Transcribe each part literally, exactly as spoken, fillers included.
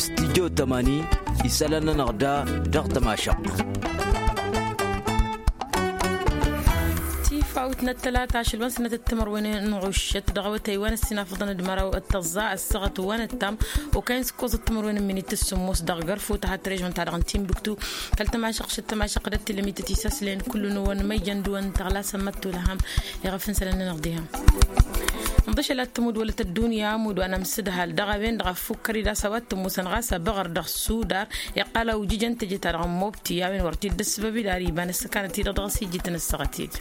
Stijjo tămani isălan-nănăɣ da dăɣ-tămašăɣt. Tifawt n-ăttălata ašăl wa n-sănătăt timărwen n-ɣuššăt dăɣ-awătay wa n-ăssinafăḍăn d-măraw d-tăẓẓa ăssaɣăt wa n-ăttam okăyăn s-ǝkkoẓăt timărwen n-minit s-sǝmmos dăɣ-gărfut a hat-režon-ta-dăɣ n-timbuktu. Kăl-tămašăɣt šăt tămašăɣt d-ăttilămit tisăslen kullu-năwăn măjjăn dăɣ-wăn tăɣlasăn măttolăhăm. Iɣăf n-isălan-nănăɣ diha. N-ḍašăl ad-tămud wăla tăddunya amud wa n-amsǝdhal dăɣ-a-wen-dăɣ a fukkăr-dd a-s a-wa t-ămoosăn ɣas abăɣăr dăɣ-sudar. Iqqal a ujǝjăn teje-ta-dăɣ n-mobti a-wen wăr t-dd-ăssăbăb-dd ar iba n-ăssăkanăt-i-dăɣ dăɣ-s ijjǝtăn ăssaɣăt-dd.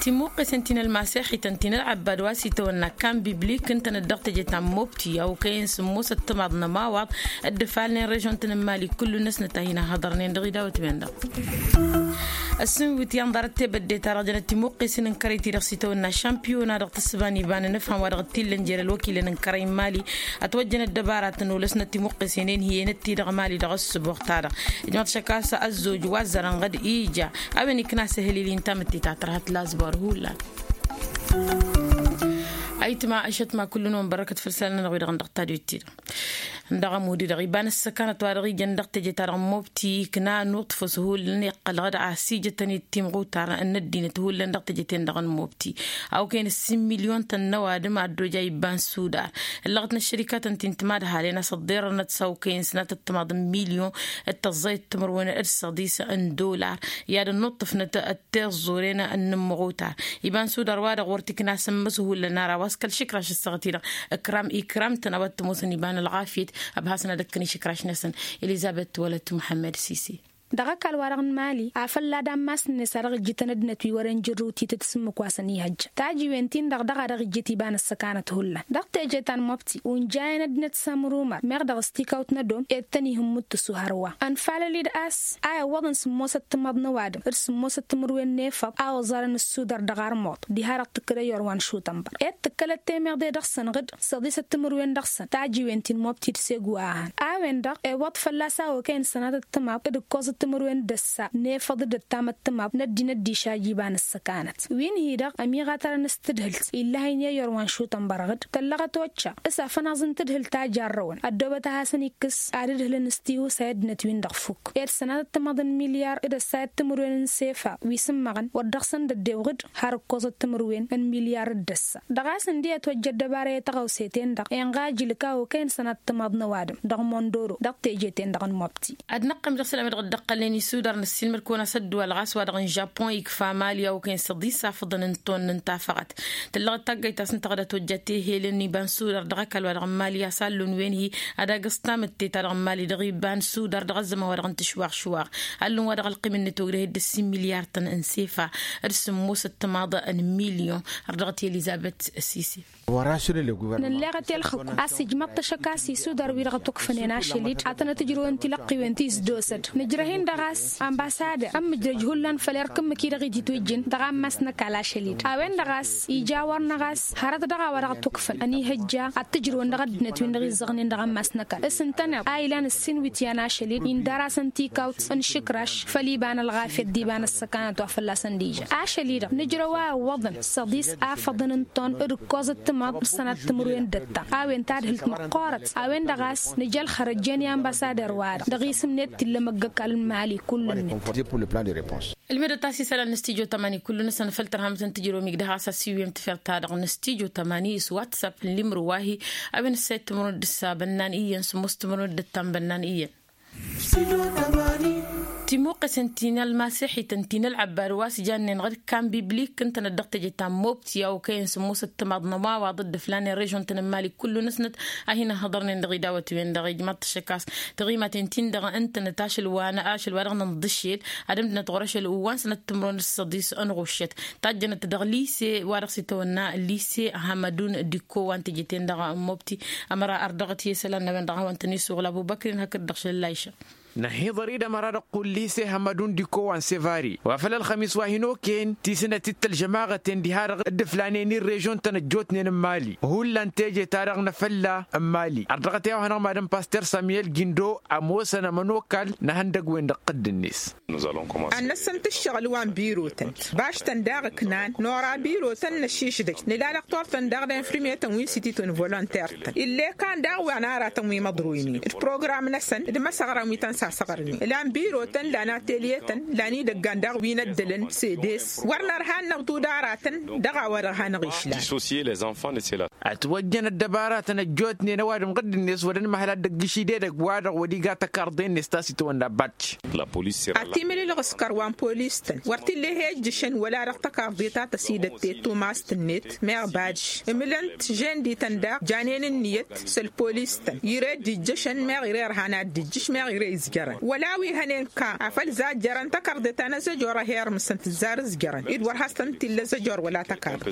Timmuqqesen ti n-ălmaseḥităn ti n-ălɣăbbad wa s-itawănna kan biblik ǝntănăt dăɣ-teje ta n-mobti a okăyăn sǝmmos ăttămaḍ n-ămawaḍ dd-ǝfalnen režon-tăn n-mali kullu-năsnăt a hin-ăhhăḍărnen dăɣ-idawăt-wen-dăɣ. Ăssinwǝtyan ḍarăt tebădde-ta-dăɣ jănăt timuqqesen n-kărăy-ti-dăɣ s-itawănna šampiyona dăɣ-tǝssǝba n-iba n-anǝfham wa dăɣ-t-illa n-jer-ălwăkilăn n-kărăy n-mali. Ătwăjjăn ăddăbara tănolăsnăt timuqqesen-en hi-enăt-ti-dăɣ mali dăɣ-ǝssǝboɣ-ta-dăɣ. Ijmăḍ šăkasă ăzzoj wa ăzzărăn ɣǝd ija a-wen ikna s-ehălil-i n-tamǝtte ta tărhăt lazbor hullan. Ayǝtma ăššătma kullu-năwăn bărrăkăt făll-isălan-nănăɣ wi-dăɣ n-dăɣ-tadwit-ti-dăɣ. Dăɣ-ămud-i-dăɣ iba n-ăssăkanăt wa dăɣ-ijăn dăɣ-teje-ta-dăɣ n-mobti ikna nuṭṭfǝs hullan iqqăl ɣǝd a ăsijătăn i-timɣutar n-ăddinăt hullan dăɣ-teje-ten-dăɣ n-mobti. A okăyăn ǝssin milyon-tăn n-ăwadǝm a ăddoja iba n-sudar. Ǝllăɣăt n-ăššărikatăn ti n-timadhalen a-s ăḍḍerrănăt s-a okăyăn sănatăt timaḍ n-milyon d-tăẓẓayăt timǝrwen d-săḍis n-dollar i-ad-ănnuṭṭăfnăt d-tiẓẓuren n-inǝmmăɣutar. Iba n-sudar wa-dăɣ wăr t-ikna s-ǝmmǝs hullan ara wa s-kăl-išǝkraš ăssaɣăt-i-dăɣ ikram ikram-tăn a-wa t-ămoosăn iba n-ălɣafyăt. Ăbhasăn ad-ăkkăn išǝkraš-năsăn. Elizăbet wălăt muḥămmăd sisi. Dăɣ-ăkall-wa-dăɣ n-mali afăl ad-ammas-net a dăɣ-ijjǝtăn ăddinăt wi wăren jǝrrǝw titǝt s-ǝmmǝk wa săn ihăjja tajǝwen-tin-dăɣ dăɣ-a dăɣ-ijjǝt iba n-ăssăkanăt hullan dăɣ-teje ta n-mobti unjayăn ăddinăt s-amrumăr meɣ dăɣ-s tikawt n-ădom ed tăn-ihǝmmut tǝsu hărwa. Ănfalăl-dd a-s a iwwăḍăn sǝmmosăt timaḍ n-ăwadǝm d-sǝmmosăt timǝrwen n-efăḍ a oẓarăn ǝssudăr dăɣ-armuḍ diha-dăɣ tǝkkăd ăyyor wa n-šutănbăr ed tǝkkălăt temăḍe dăɣ-săn ɣǝd săḍisăt timǝrwen dăɣ-săn tajǝwen ti n-mobti d-segu a ăhăn a-wen-dăɣ iwwăḍ fălla-s a okăyăn sănatăt timaḍ d-ǝkkoẓăt timǝrwen d-ăssa n-efăḍ d-ăttamăt timaḍ n-ăddinăt d-išaj iba n-ăssăkanăt. Wi n-hi-dăɣ ămiɣatărăn s-tǝdhǝlt illăhăynen i-ăyyor wa n-šutănbăr ɣǝd tăllăɣăt occa s-afănaẓ n-tǝdhǝlt ta jarrăwăn ăddoobăt a hasăn-ikkǝs ad-ǝdhǝlăn s-tihusa i-ăddinăt-win-dăɣ fukk ed sănatăt timaḍ n-milyar d-ăssayăt timǝrwen n-sefa wi s-ǝmmăɣăn wăr dăɣ-săn d-ăddew ɣǝd har ǝkkoẓăt timǝrwen n-milyar d-ăssa. Dăɣ-a-s ǝndi ătwăjja ăddăbara i-tăɣawse-ten-dăɣ inɣa ajǝlǝk a okăyăn sănatăt timaḍ n-ăwadǝm dăɣ-mondoro dăɣ-teje-ten-dăɣ n-mobti. Ad-năqqim dăɣ-isălan wi dăɣ-dd-ăqqălnen isudar năssiilmăd-kăwăn a-s ădduwal ɣas wa-dăɣ n-žapun ikfa mali a okăyăn s-ăḍisafăḍăn n-tonnăn tafăɣăt. Tǝllăɣ-dd taggayt ta s-ǝnta ɣad ătwăjja tehelen n-iba n-sudar dăɣ-ăkall wa-dăɣ n-mali a-s allun wen-hi ad-agǝẓ tamǝtte-ta-dăɣ n-mali dăɣ-iba n-sudar dăɣ-ăzzăman wa dăɣ-n tǝšwaɣ šwaɣ. Allun wa dăɣ-ălqim-net ogdăh-dd ǝssin milyar-tăn n-sefa d-sǝmmosăt timaḍ n-milyon. Ărdăɣăt i-elizăbet sisi. Nălleɣăt i-ălxǝkk a-s ijmăḍ-t ašăk a-s isudar-wi-dăɣ ătukfănen ašăl-dd ad-tănăt-ǝjrǝwăn tilăqqiwen ti s-dd-osăd nǝjrăh-in-dăɣ a-s. Ambasader ămmǝjrăj hullan făll-erk ǝmmǝk-i-dăɣ iji twǝjjǝn dăɣ-ammas n-ăkall ašăl-dd a-wen-dăɣ a-s ija wăr-năɣ a-s hărăt dăɣ-a-wa dăɣ-tukfăn ănihăjja ad-t-ǝjrǝwăn dăɣ-ăddinăt-win-dăɣ izzăɣnen dăɣ-ammas n-ăkall s-ǝntăneḍ a ilan ǝssin iwǝtyan ašăl-dd indar-asăn tikawt n-išǝkraš făll-iba n-ălɣafyăt d-iba n-ăssăkanăt wa fălla-săn d-ijan ašăl-i-dăɣ nǝjrăw a iwwăḍăn s-ăḍis afăḍăn n-ton d-ǝkkoẓăt timaḍ d-sănat timǝrwen d-ăttam a-wen tadhǝlt măqqoorăt a-wen-dăɣ a-s nǝja ălxărăt jen i-anbăsader-wa-dăɣ dăɣ-isǝm-net t-illa măggăkal n-mali kull-net. Ǝlmǝdăt a-s isălan n-stijo tămani kullu-năsăn făll-tărhamăt n-tijromig dăɣ-has ăssiwǝyăm tǝfert-ta-dăɣ n-stijo tămani s-whatsapp n-limru wa-hi a-wen ǝssayăt timǝrwen d-ǝssa bănnan iyyăn sǝmmos timǝrwen d-ǝttam bănnan iyyăn. Timuqqesen ti n-ălmasixităn ti n-ălɣăbbad wa s-jannen ɣǝd kan biblik ǝntănăt dăɣ-teje ta n-mobti a okăyăn sǝmmosăt timaḍ n-ămawaḍ dd-ǝflanen režon-tăn n-mali kullu-năsnăt a hin-ăhhăḍărnen dăɣ-idawăt-wen-dăɣ ijmaḍ-t ašăk a-s tiɣimaten-tin-dăɣ ǝntănăt ašăl wa n-ašăl wa dăɣ-nǝnḍǝšel ad-ǝmdǝnăt ɣur-ašăl wa n-sănat timǝrwen d-săḍis n-ɣuššăt tajjănăt dăɣ-lise wa dăɣ-s itawănna lise hamadun dikko wa n-teje-ten-dăɣ n-mobti. Ămăra ărdăɣăt i-isălan n-a-wen-dăɣ a hawăn-tăn-isuɣǝl ăbubăkrin hakd-dăɣ šăl layša. Năhiḍăr-i d-ămăra dăɣ-kullise hămmădun d-iko wa n-sevari wa făll-ălxămis wa hin-okăyăn tisǝnăt-dd tălžămaɣăten diha-dăɣ dd-ǝflanen i-režion-tăn ăjjootnen n-imali hullan teje-ta-dăɣ n-afălla n-imali ărdăɣăt i-a-wa hanăɣ-madăn paster samiyel gindo ămoosăn ămănokal n-ehăndăgg-wen-dăɣ tădd-net. Ad-năssămt ǝššăɣǝl wa n-birotăn baš-tăn daɣ ǝknan nora birotăn n-ašišdăj nǝla dăɣ-tortăn daɣ d-infirmiyetăn wi n-sititun volonter-tăn ill'-e kan daɣ wa n-aratăn wi măḍroynen d-program-năsăn d-imăsăɣran wi tăn-sasăɣrnen ǝlan birotăn lan atelye-tăn lan idăggan daɣ wi n-ăddălăn sedes wăr nărha ad-năɣ tudaratăn dăɣ-a-wa-dăɣ hanăɣ-išlan. Ătwăjjăn ăddăbaratăn ăjjootnen ăwadǝm ɣǝdd-net wăr dd-măhăl ad-dd-ăgg-išidedăgg wa-dăɣ wăr-iga tăkarḍe-net ta s-itawănna badj. Ad-t-imǝlǝlɣǝskăr wa n-polis-tăn wăr t-illa ihejjǝšăn wăla dăɣ-tăkarḍe ta tăsidăt tettumast-net meɣ badj ǝmǝlăn-t žen-dităn daɣ janen ǝnniyăt s-ălpolis-tăn ire dd-ijjăšăn meɣ ire ărhan ad-dd-ijjǝš meɣ ire izjărăn wăla wi hănen ka afăl zajjărăn tăkarḍe ta n-azăjor a hi-irmǝsăn tǝzzar ǝzjărăn-dd wăr has-tăn-t-illa azăjor wăla tăkarḍe.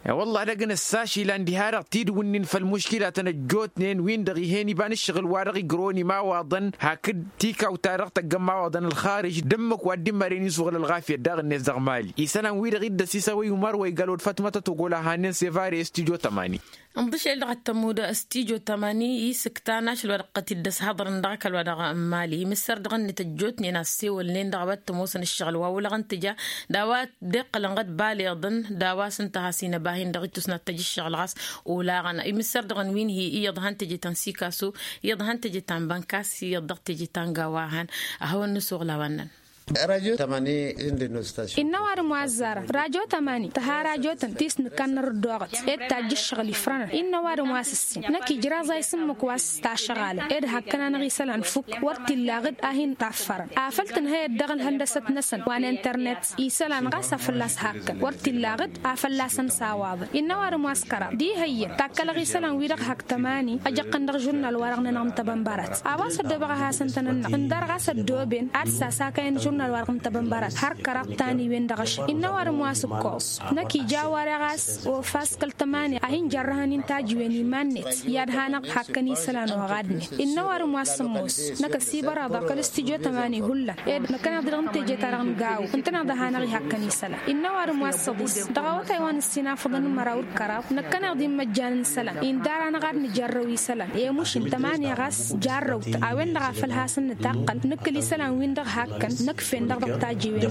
E-wălla ad-ăgg-năssa ašilan diha-dăɣ tidǝwǝnnin făll-muškilatăn ăjjootnen-win-dăɣ ih'-en iba n-ǝššăɣǝl wa dăɣ-igrăwăn imawaḍăn hakd tikawt-ta-dăɣ tăgg-ămmawaḍăn ălxarǝž d-ǝmmǝk wa dd-immărăn isuɣǝl ălɣafyăt daɣ-net dăɣ-mali isălan-wi-dăɣ iddăs isăwăy umar wa igal wăr fatmătăt ogol a hannen sevare studyo tămani. Ǝnḍǝšel dăɣ-ăttămud studyo tămani isǝktan ašăl wa dăɣ-tăt-dd-ăshăḍrăn dăɣ-ăkall-wa-dăɣ n-mali imǝssăr dăɣ-net ăjjootnen a ăssewălnen dăɣ-a-wa t-ămoosăn ǝššăɣǝl wa olăɣăn tǝja d-a-wa dd-iqqălăn ɣǝd baleḍăn d-a-wa s-ǝnta a has-inăba a hin-dăɣ-ittus n-ad-tăj ǝššăɣǝl ɣas olaɣăn imǝssăr dăɣ-wi n-hi iyyăḍ han teje ta n-sikasu iyyăḍ han teje ta n-bănkas iyyăḍ dăɣ-teje ta n-gawa han. A hawăn-nǝsuɣǝl a-wa ǝnnăn. Innă ăwadǝm wa ăzzarăn rajo tămani tǝha rajotăn ti s-nǝkkan nărǝddoɣăt ed tajj ǝššăɣǝl ifrănăn innă ăwadǝm wa s-ǝssin năkk ijraẓ a isǝmmǝk wa s-tašăɣalăn ed hakkăn-anăɣ isălan fukk wăr t-illa ɣǝd a hin-taffărăn afăl tǝnhăyăt dăɣ-ălhăndăsăt-năsăn wa n-internet isălan ɣas a fălla-s hakkăn wăr t-illa ɣǝd a fălla-săn s-awaḍăn innă ăwadǝm wa s-kăraḍ d-ihăyyăn takkălăɣ isălan-wi-dăɣ hak tămani ăjăqqăn dăɣ-žurnal-wa-dăɣ-nănăɣ n-tăbănbărat a-wa s-ăddoobăɣ a hasăn-tăn-ănnăɣ ǝndar ɣas ăddooben ad-sasakăyăn žurnal-wa-dăɣ n-tăbănbărat har kăraḍ taniwen dăɣ-ašăl innă ăwadǝm wa s-ǝkkoẓ năkk ija a-wa dăɣ-a-s ofa s-kăl-tămani a hin-jarrăhăn intajǝwen iman-net i-ad-hanăɣ-dd hakkăn isălan oɣadnen innă ăwadǝm wa s-ămoos năkk ăsibărăḍăɣ kăl-studyo tămani hullan ed năkkăneḍ-i dăɣ-teje-ta-dăɣ n-gawo ǝntăneḍ a hanăɣ-ihăkkăn isălan innă ăwadǝm wa s-ăḍis dăɣ-awătay wa n-ǝssin afăḍăn n-măraw d-kăraḍ năkkăneḍ-i n-imăjjan n-isălan indar-anăɣ ad-nǝjarrăw isălan i-mušǝn tămani ɣas jarrăw-t a-wen-dăɣ a făl hasăn-nǝtaqqăl nǝkkǝl isălan-win-dăɣ hakkăn nǝkf'-en-dăɣ dăɣ-tajǝwen.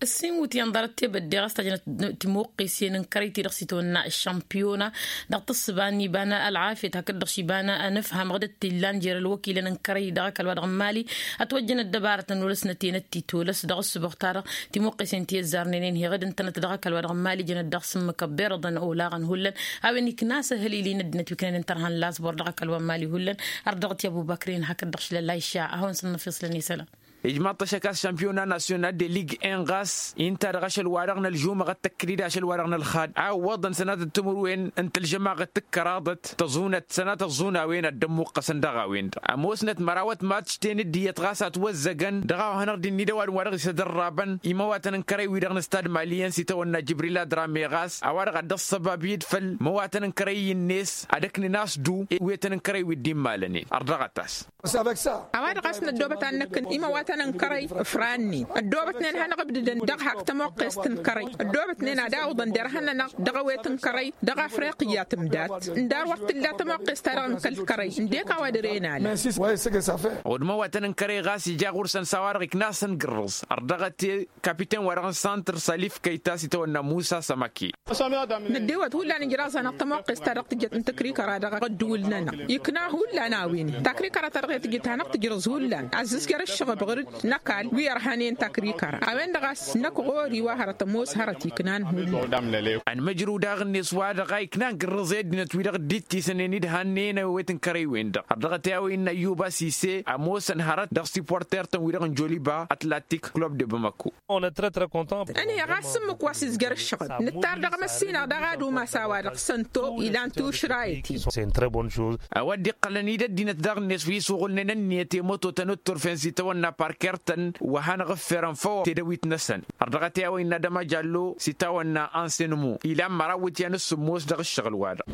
Ǝssin wǝtyan ḍarăt tebădde ɣas tajnăt timuqqesen n-kărăy-ti-dăɣ s-itwănna ăššămpiyona dăɣ-tǝssǝba n-iba n-ălɣafyăt hakd-dăɣ š-iba n-anǝfham ɣǝdăt t-illan jer-ălwăkilăn n-kărăy dăɣ-ăkall-wa-dăɣ n-mali ătwăjjăn ăddăbarătăn wăr-s nătenăt titolăs dăɣ-ǝssǝboɣ-ta-dăɣ timuqqesen ti ăzzarnen-en hi-ɣǝd ǝntănăt dăɣ-ăkall-wa-dăɣ n-mali jănăt daɣ s-ǝmmǝk ăbberăḍăn olaɣăn hullan a-wen ikna s-ehălil-i n-ăddinăt wi ǝknănen tărha n-lasbor dăɣ-ăkall wa n-mali hullan. Ărdăɣăt i-ăbubăkr-en hakd-dăɣ šlălla išša a hawăn-săn-năfiṣlăn isălan. Ijmaḍ-t ašăk a-s šampiyona nasyonal de lig en ɣas inta-dăɣ ašăl-wa-dăɣ n-ălžumăɣăt tăkkăl-dd ašăl-wa-dăɣ n-ălxad a ǝwwăḍăn sănatăt timǝrwen n-tǝlžămaɣăt tǝkkăraḍăt tăẓunăt sănatăt ẓunăwen ad-dd-ămmuqqăsăn dăɣ-a-wen-dăɣ ămoosnăt mărawăt matš-ten dd-iyyăt ɣas a ătwăzzăgăn dăɣ-a-wa hanăɣ-dd-innă d-ăwadǝm wa dăɣ-isădărrabăn imăwatăn n-kărăy-wi-dăɣ n-ăstad mali i-ănsi tawănna jibril adrame ɣas a-wa-dăɣ ad-dd-ăṣṣăbab iyyăd făll-imăwatăn n-kărăy-net ad-ǝknen a-s du ewetăn n-kărăy wi dd-immalănen ărdăɣăt-as. A-wa-dăɣ a-s năddoobăt ad-nǝkk imăwatăn n-kărăy ǝfrannin ăddoobătnen hanăɣ-ǝbdǝdăn dăɣ-hak tămoqqest n-kărăy ăddoobătnen ad-awǝḍăn derhan-nănăɣ dăɣ-ewet n-kărăy dăɣ-afriqya tǝmdat ǝndar wăr t-tǝlla tămoqqest-ta-dăɣ n-kăl-kărăy ǝndek a-wa dăr-e n-alăn. Ăwăd imăwatăn n-kărăy ɣas ija ɣur-săn s-a-wa-dăɣ ikna a-s ăngǝrrǝẓ ărdăɣăt i-kapiten-wa-dăɣ n-santăr salif kăyta s-itawănna musa sămăki. Năddewăt hullan ijraẓ-anăɣ tămoqqest-ta-dăɣ tǝjjăt n-takrikăra dăɣ-ăddǝwǝl-nănăɣ ikna hullan a-wen-in takrikăra-ta-dăɣ i-tǝjjăt hanăɣ-tǝjrǝẓ hullan ăzzǝzjăr ǝššăɣǝb ɣur-dd n-ăkall wi ărhanen takrikăra a-wen-dăɣ a-s năkk ɣur-i wa hărăt ămoos hărăt iknan hullan. Ănmăjrǝw daɣ-net wa dăɣ-a ikna ǝngǝrrǝẓ i-ăddinăt-wi-dăɣ dd-ittisănen d-hannen ewet n-kărăy-wen-dăɣ ărdăɣăt i-a-wa innă ăyyub asise ămoosăn hărăt dăɣ-siporter-tăn-wi-dăɣ n-joliba atlatik klub de bamako. Ănheɣ a-s ǝmmǝk wa s-izjăr ǝššăɣǝl nǝttar dăɣ-emăssinăɣ dăɣ-adumas a-wa-dăɣ sănto ilan tušrayăt-i. A-wa dd-iqqălăn-dd ăddinăt daɣ-net wi s-uɣǝlnen ǝnniyăt i-mătotăn d-turfen s-itawănna park. Kertăn wa hanăɣ-ǝfferăn făw tedăwit-năsăn. Ărdăɣăt i-a-wa innă dămajallo s-itawănna ansenmu ilan măraw iwǝtyan s-sǝmmos dăɣ-ǝššăɣǝl-wa-dăɣ.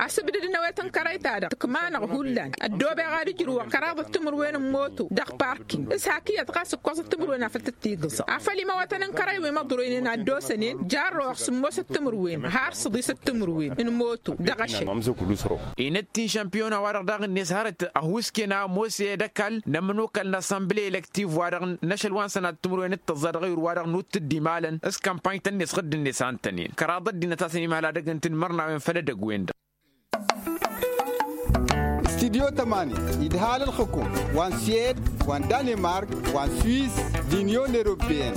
Asǝbdăd n-awet n-kărăy-ta-dăɣ tǝkma-năɣ hullan ăddoobeɣ ad-ǝjrǝwăɣ kăraḍăt timǝrwen n-moto dăɣ-parking s-hak iyyăt ɣas ǝkkoẓăt timǝrwen afăl tǝttigǝẓăɣ afăl imawătăn n-kărăy wi măḍroynen ad-dd-osănen jarrăwăɣ sǝmmosăt timǝrwen har săḍisăt timǝrwen n-moto dăɣ-ašăl. Inăt-t-in šămpiyona-wa-dăɣ daɣ-net hărăt ăhuusken a ămoos i-ed ăkall n-ămănokal n-asănbǝle elăktiv-wa-dăɣ n-ašăl wa n-sănat timǝrwen d-tăẓẓa dăɣ-ewǝr-wa-dăɣ n-uttǝddi imalăn s-kămpany-tăn-net ɣǝdd-net a ǝntănen kăraḍăt d-inăt a-s ănimhăl ad-ăggǝntǝn imărnawen făll-edăgg-wen-dăɣ. Studyo tămani idhal ălxǝkum wa n-siyed wa n-danemark wa n-swiss d-inyon eropeyăn.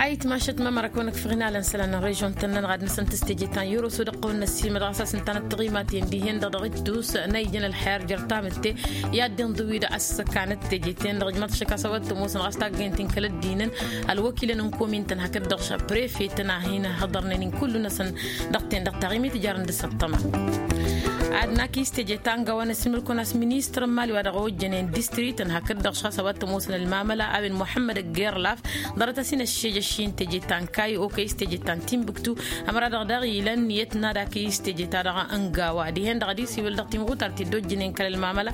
Ayǝtmašăt mămăra kăwăn-ăkfăɣ inalăn isălan n-režion-tăn-nănăɣ ad-năsăn tǝstejăt ta n-yăroso dăɣ-kăwăn-năssiilmăd ɣas a-s ǝnta n-ăttăɣimaten dihen-dăɣ dăɣ-ittus n-a ijăn ălxer jer-tamǝtte i-ad-dd-inḍǝw wi-dăɣ a-s ăkkanăt teje-ten-dăɣ ǝjmăḍ šăkk a-s a-wa t-ămoosăn ɣas taggăyăn-t-in kăl-ăddinăn ălwăkilăn n-komin-tăn hakd-dăɣ prefe-tăn a hin-hăḍărnen-in kullu-năsăn dăɣ-ten-dăɣ taɣimit jarăn dăɣ-săṭṭăma. Ad-nak isteje ta n-gawa n-ăssimăl-kăwăn a-s ministăr n-imali wa dăɣ-ojjănen distrikăn hakd-dăɣ šăɣ a-s a-wa t-ămoosăn ălmamăla a-wen muḥămmăd ăggerlaf ḍarăt-as-in ăššejăšši n-teje ta n-kayy okăy s-teje ta n-tinbǝktu. Ămăra-dăɣ daɣ ilăn iyyăt n-ad-akăy s-teje-ta-dăɣ n-gawa dihen-dăɣ ad-isiwǝl dăɣ-timɣutar ti dd-ojjănen kăl-ălmamăla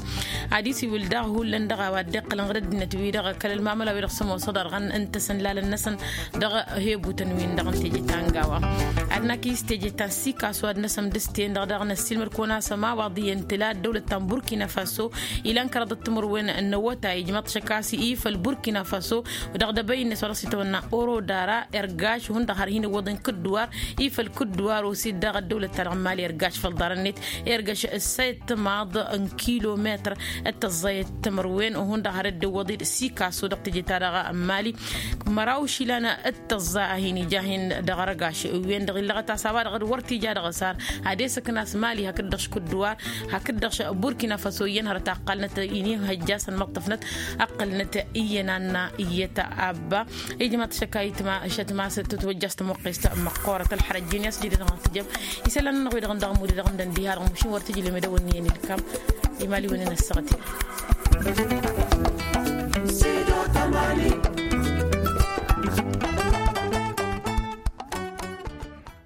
ad-isiwǝl daɣ hullan dăɣ-a-wa dd-iqqălăn ɣǝd ăddinăt-wi-dăɣ kăl-ălmamăla-wi-dăɣ s-ămoosăḍ arɣăn n-tasănlalăn-năsăn dăɣ-hebutăn-win-dăɣ n-teje ta n-gawa. Ad-năkăy s-teje ta n-sikasu ad-năsăm dăɣ-s-ten-dăɣ daɣ năssiilmăd-kăwăn a-s ăma waḍ iyyăn tǝla ăddăwlăt ta n-burkina faso ilan kăraḍăt timǝrwen n-awătay ijmaḍ-t šăkk a-s ifăl burkina faso dăɣ-dăbăy-net wa dăɣ-s itawănna oro dara ergaš hundăɣ har hin-ǝwwăḍen kǝdduwar ifăl kǝdduwar osid daɣ ăddăwlăt-ta-dăɣ n-imali ergaš făll-ḍarăn-net ergaš ǝssayăt timaḍ n-kilometăr d-tăẓẓayăt timǝrwen hundăɣ har dd-iwwăḍ-dd sikaso dăɣ-teje-ta-dăɣ n-imali măraw išilan d-tăẓẓa a hin-ija a hin-dăɣ-ărgaš wen-dăɣ illăɣăt a-s a-wa-dăɣ wăr t-ija dăɣ-s har ad-esăkna a-s mali hakd-dăɣ-š kǝdduwar hakd-dăɣ-š burkina faso iyyăn hărăt a ǝqqălnăt inihăjja a-s ănmăṭṭăfnăt ǝqqălnăt iyyăn anna iyyăt abba. Ijmaḍ šăkk a itma šătmas tǝtwăjja a-s tămuqqest măqqoorăt ălxărăjjen i-a-s jidăt ɣas tǝjjăm isălan-nănăɣ wi-dăɣ n-dăɣ-mudăt dăɣ-indăn diha-dăɣ mušin wăr tǝjlem i-dăwănni i-ănilkam. Imali wăn-in-ăssăɣăt-in